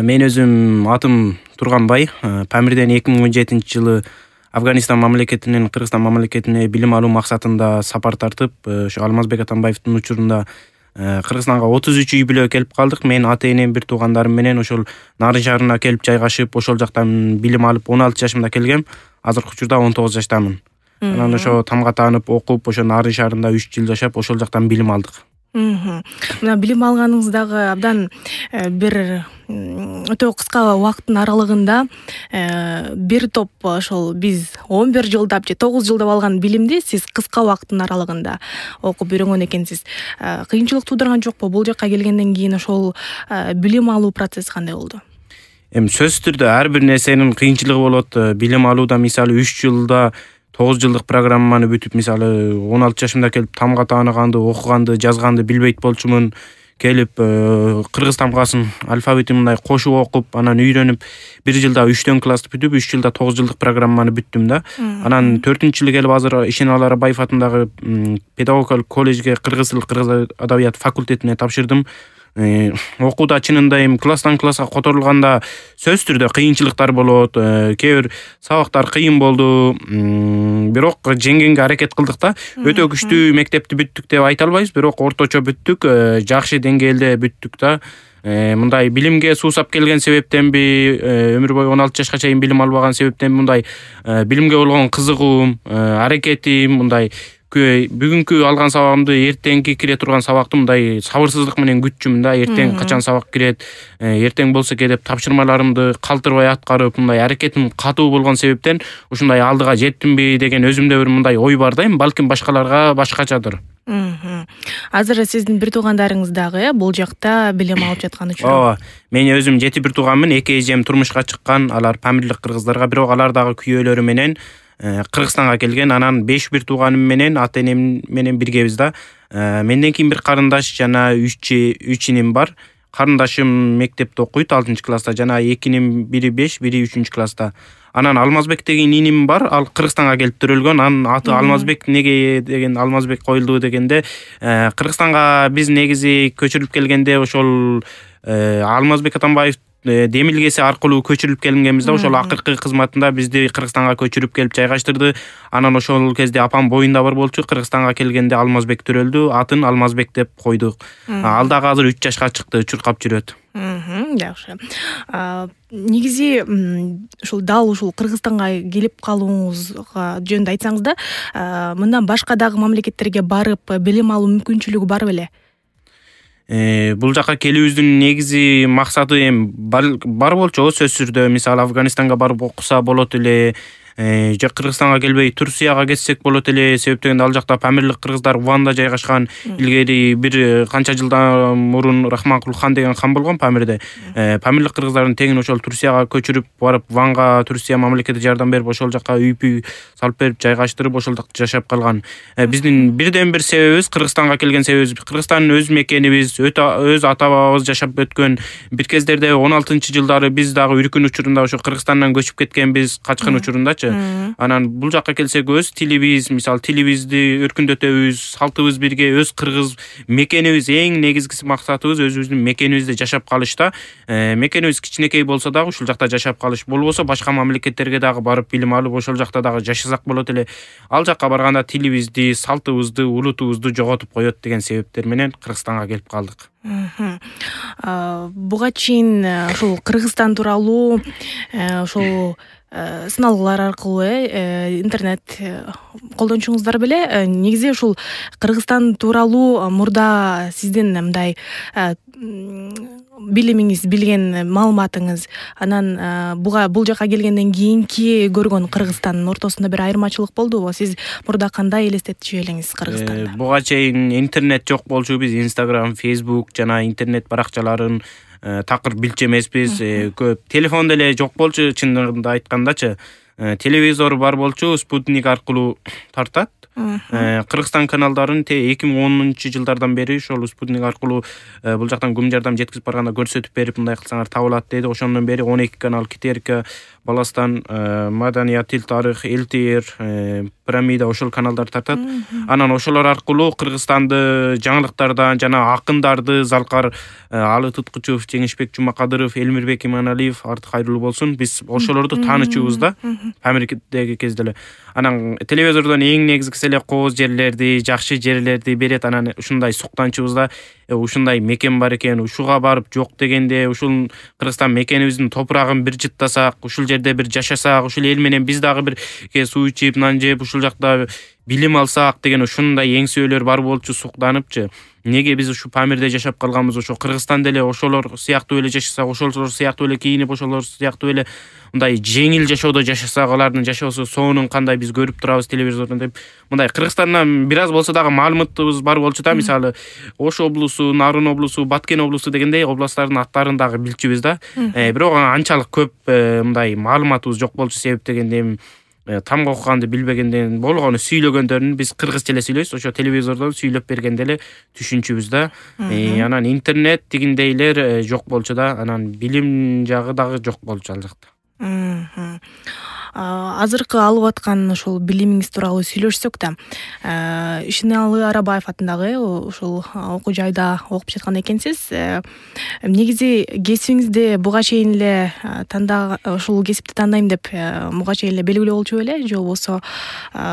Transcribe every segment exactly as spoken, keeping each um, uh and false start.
Мен өзүм атым Турганбай. Памирден эки миң он жетинчи жылы Афганистан мамлекетинен Кыргызстан мамлекетине билим алуу максатында сапар тартып, ошо Алмазбек Атамбаевдин учурунда Кыргызстанга отуз үч үй бүлө келип калдык. Мен ата-энем, бир туугандарым менен ошол Нарын шаарына келип жайгашып, ошол жактан билим алып он алты жашымда келгем. Азыркы учурда он тогуз жаштамын. Анан ошо тамга таанып, окуп, ошо Нарын шаарында үч жыл жашап, ошол жактан билим алдык. Мына билим алганыңыз дагы абдан бир өтө кыска убакыттын аралыгында бир топ ошол биз он бир жылдап же тогуз жылдап алган билимди сиз кыска убакыттын аралыгында окуп үйрөнгөн экенсиз. Кыйынчылык туудурган жокпу? Бул жакка келгенден кийин ошол билим алуу процесси кандай болду? Эми сөзсүз түрдө ар бир нерсенин кыйынчылыгы болот. Билим алууда мисалы үч жылда тогуз жылдык программаны бүтүп, мисалы он алты жашымда келип тамга тааныганды, окуганды, жазганды билбейт болчумун. Келип кыргыз тамгасын, алфавитин мындай кошуп окуп, анан үйрөнүп, бир жылда үчтөн классты бүтүп, үч жылда тогуз жылдык программаны бүттүм да. Анан төртүнчү жылы келип азыр Ишеналы Арабаев атындагы педагогикалык колледжге кыргыз тил, кыргыз адабият факультетине тапшырдым. Окууда чынында эми класстан класска которулганда сөзсүз түрдө кыйынчылыктар болот. Кээ бир сабактар кыйын болду, бирок жеңгенге аракет кылдык да. Өтө күчтүү мектепти бүттүк деп айта албайбыз, бирок орточо бүттүк, жакшы деңгээлде бүттүк да. Мындай билимге суусап келген себептенби, өмүр бою он алты жашка чейин билим албаган себептен мындай билимге болгон кызыгуум, аракетим, мындай бүгүнкү алган сабагымды эртеңки кире турган сабакты мындай сабырсыздык менен күтчүмүн да. Эртең качан сабак кирет, эртең болсо келип тапшырмаларымды калтырбай аткарып, мындай аракетим катуу болгон себептен ушундай алдыга жеттимби деген өзүмдө бир мындай ой бар да. Эми балким башкаларга башкачадыр. Азыр сиздин бир туугандарыңыз дагы бул жакта билим алып жаткан учуру. Ооба. Мен өзүм жети бир тууганмын. Эки эжем турмушка чыккан. Алар памирлик кыргыздарга, бирок алар дагы күйөөлөрү менен Кыргызстанга келген. Анан беш бир тууганым менен ата-энем менен биргебиз да. Менден кийин бир карындаш жана үч үч иним бар. Карындашым мектепте окуйт, алтынчы класста, жана экинин бири беш, бири үчүнчү класста. Анан Алмазбек деген иним бар, ал Кыргызстанга келип төрөлгөн. Анын аты Алмазбек неге деген Алмазбек коюлду дегенде, Кыргызстанга биз негизи көчүрүлүп келгенде ошол Алмазбек Атамбаев демилгеси аркылуу көчүрүлүп келгенбиз да. Ошол акыркы кызматында бизди Кыргызстанга көчүрүп келип жайгаштырды. Анан ошол кезде апам боюнда бар болчу. Кыргызстанга келгенде Алмазбек төрөлдү, атын Алмазбек деп койдук. Ал дагы азыр үч жашка чыкты, чуркап жүрөт. Жакшы. Негизи ушул дал ушул Кыргызстанга келип калууңузга жөнүндө айтсаңыз да, мындан башка дагы мамлекеттерге барып билим алуу мүмкүнчүлүгү бар беле? Бул жака келүүбүздүн негизи максаты эми бар болчу, сөзсүз түрдө. Мисалы Афганистанга барып окуса болот эле, же Кыргызстанга келбей Турцияга кетсек болот эле. Себептен ал жакта памирлик кыргыздар Ванда жайгашкан. Илгери бир канча жылдан мурун Рахманкул хан деген хан болгон Памирде. Памирлик кыргыздардын тегин ошол Турцияга көчүрүп барып, Ванга Турция мамлекети жардам берип, ошол жака үй-пүй салып берип, жайгаштырып, ошол жакта жашап калган. Биздин бирден бир себебибиз, Кыргызстанга келген себебибиз, Кыргызстан өз мекенибиз, өз ата-бабабыз жашап өткөн. Бир кездерде он алтынчы жылдары биз дагы үркүн учурунда ошо Кыргызстандан көчүп кеткенбиз, качкын учурундачы. Анан бул жака келсек, өз тилибиз, мисалы тилибизди өркүндөтөбүз, салтыбыз бирге, өз кыргыз мекенибиз, эң негизгиси максатыбыз өзүбүздүн мекенибизде жашап калышта. Мекенибиз кичинекей болсо дагы ушул жакта жашап калыш, болбосо башка мамлекеттерге дагы барып билим алып, ошол жакта дагы жашасак болот эле. Ал жакка барганда тилибизди, салтыбызды, улутубузду жоготуп коет деген себептер менен Кыргызстанга келип калдык. Буга чейин ушул Кыргызстан тууралуу ошол сыналгылар аркылуу интернет колдончуңуздар беле? Негизи ушул Кыргызстан тууралуу мурда сиздин мындай билимиңиз, билген маалыматыңыз, анан буга бул жака келгенден кийинки көргөн Кыргызстандын ортосунда бир айырмачылык болдубу? Сиз мурда кандай элестетчү элеңиз Кыргызстанда? Буга чейин интернет жок болчу. Биз Instagram, Facebook жана интернет баракчаларын такыр билчү эмеспиз. Көп телефон деле жок болчу, чынында айткандачы. Телевизор бар болчу, спутник аркылуу тартат. Кыргызстан каналдарын эки миң онунчу жылдардан бери ошол спутник аркылуу бул жактан көмүр жардам жеткизип барганда көрсөтүп берип, мындай кылсаңар табылат деди. Ошондон бери он эки канал, Китерка, Баластан, Маданият, Тил, тарых, эл ти эр, пирамида ошол каналдар тартат. Анан ошолор аркылуу Кыргызстанды жаңылыктардан жана акындарды Залкар Алы Туткучев, Жеңишбек Жумакадыров, Элмирбек Иманалиев, Артык кайрылуу болсун. Биз ошолорду таанычубуз да Памирдеги кезде эле. Анан телевизордон эң негизгиси эле кооз жерлерди, жакшы жерлерди берет. Анан ушундай суктанчубуз да. Ушундай мекен бар экен, ушуга барып жок дегенде ушул Кыргызстан мекенибиздин топурагын бир жыттасак, ушул жерде бир жашасак, ушул эл менен биз дагы бир суу ичип, нан жеп, ушул жакта билим алсак деген ушундай эңсөөлөр бар болчу, суктаныпчы. Неге биз ушу Памирде жашап калганбыз? Ошо Кыргызстанда эле ошолор сыяктуу эле жашасак, ошолор сыяктуу эле кийинип, ошолор сыяктуу эле мындай жеңил жашоодо жашасак, алардын жашоосу сонун кандай биз көрүп турабыз телевизордон деп. Мындай Кыргызстандан бир аз болсо дагы маалыматыбыз бар болчу да. Мисалы, Ош облусу, Нарын облусу, Баткен облусу дегендей областтардын аттарын дагы билчүбүз да. Бирок анчалык көп мындай маалыматыбыз жок болчу. Себеп дегенде тамга окуганды билбегенден болгону сүйлөгөндөрүн биз кыргызча эле сүйлөйбүз. Ошо телевизордон сүйлөп бергенде эле түшүнчүбүз да. Анан интернет дегендейлер жок болчу да. Анан билим жагы дагы жок болчу ал жакта. Азыркы алып аткан ошол билимиңиз тууралуу сүйлөшсөк да, Ишеналы Арабаев атындагы ошол окуу жайда окуп жаткан экенсиз. Негизи кесибиңизди буга чейин эле танда ошол кесипти тандайм деп буга чейин эле белгилүү болчу беле, же болбосо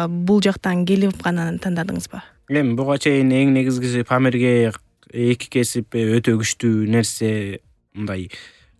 бул жактан келип гана тандадыңызбы? Эми буга чейин эң негизгиси Памирге эки кесип өтө күчтүү нерсе мындай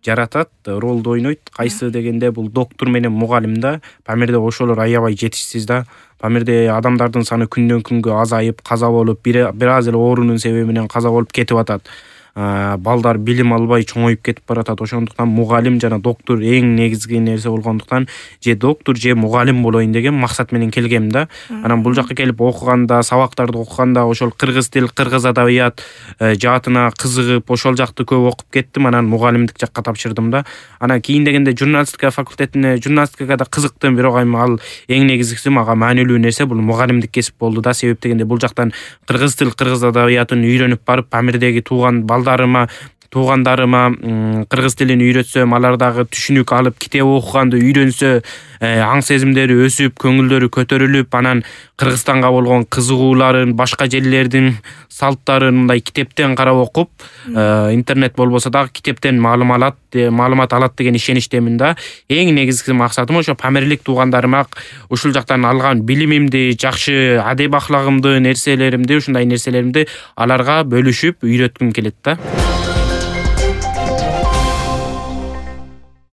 жаратат, ролду ойнойт. Кайсы дегенде бул доктор менен мугалим да. Памирде ошолор аябай жетишсиз да. Памирде адамдардын саны күндөн күнгө азайып, каза болуп, бир аз эле оорунун себеби менен каза болуп кетип атат. Балдар билим албай чоңоюп кетип баратат. Ошондуктан мугалим жана доктор эң негизги нерсе болгондуктан же доктор же мугалим болоюн деген максат менен келгем да. Анан бул жакка келип окуганда, сабактарды окуганда ошол кыргыз тил, кыргыз адабият жаатына кызыгып, ошол жакты көп окуп кеттим. Анан мугалимдик жакка тапшырдым да. Анан кийин дегенде журналистика факультетине, журналистикага да кызыктым, бирок эми ал эң негизгиси мага маанилүү нерсе бул мугалимдик кесип болду да. Себеп дегенде бул жактан кыргыз тил, кыргыз адабиятын үйрөнүп барып, Памирдеги тууган балдарыма, туугандарыма кыргыз тилин үйрөтсөм, алар дагы түшүнүк алып, китеп окуганды үйрөнсө, аң сезимдери өсүп, көңүлдөрү көтөрүлүп, анан Кыргызстанга болгон кызыгууларын, башка жерлердин салттарын мындай китептен карап окуп, интернет болбосо дагы китептен маалым алат, маалымат алат деген ишеничтемин да. Эң негизги максатым ошо Памирлик туугандарыма ушул жактан алган билимимди, жакшы адеп ахлагымды, нерселеримди, ушундай нерселеримди аларга бөлүшүп үйрөткүм келет да.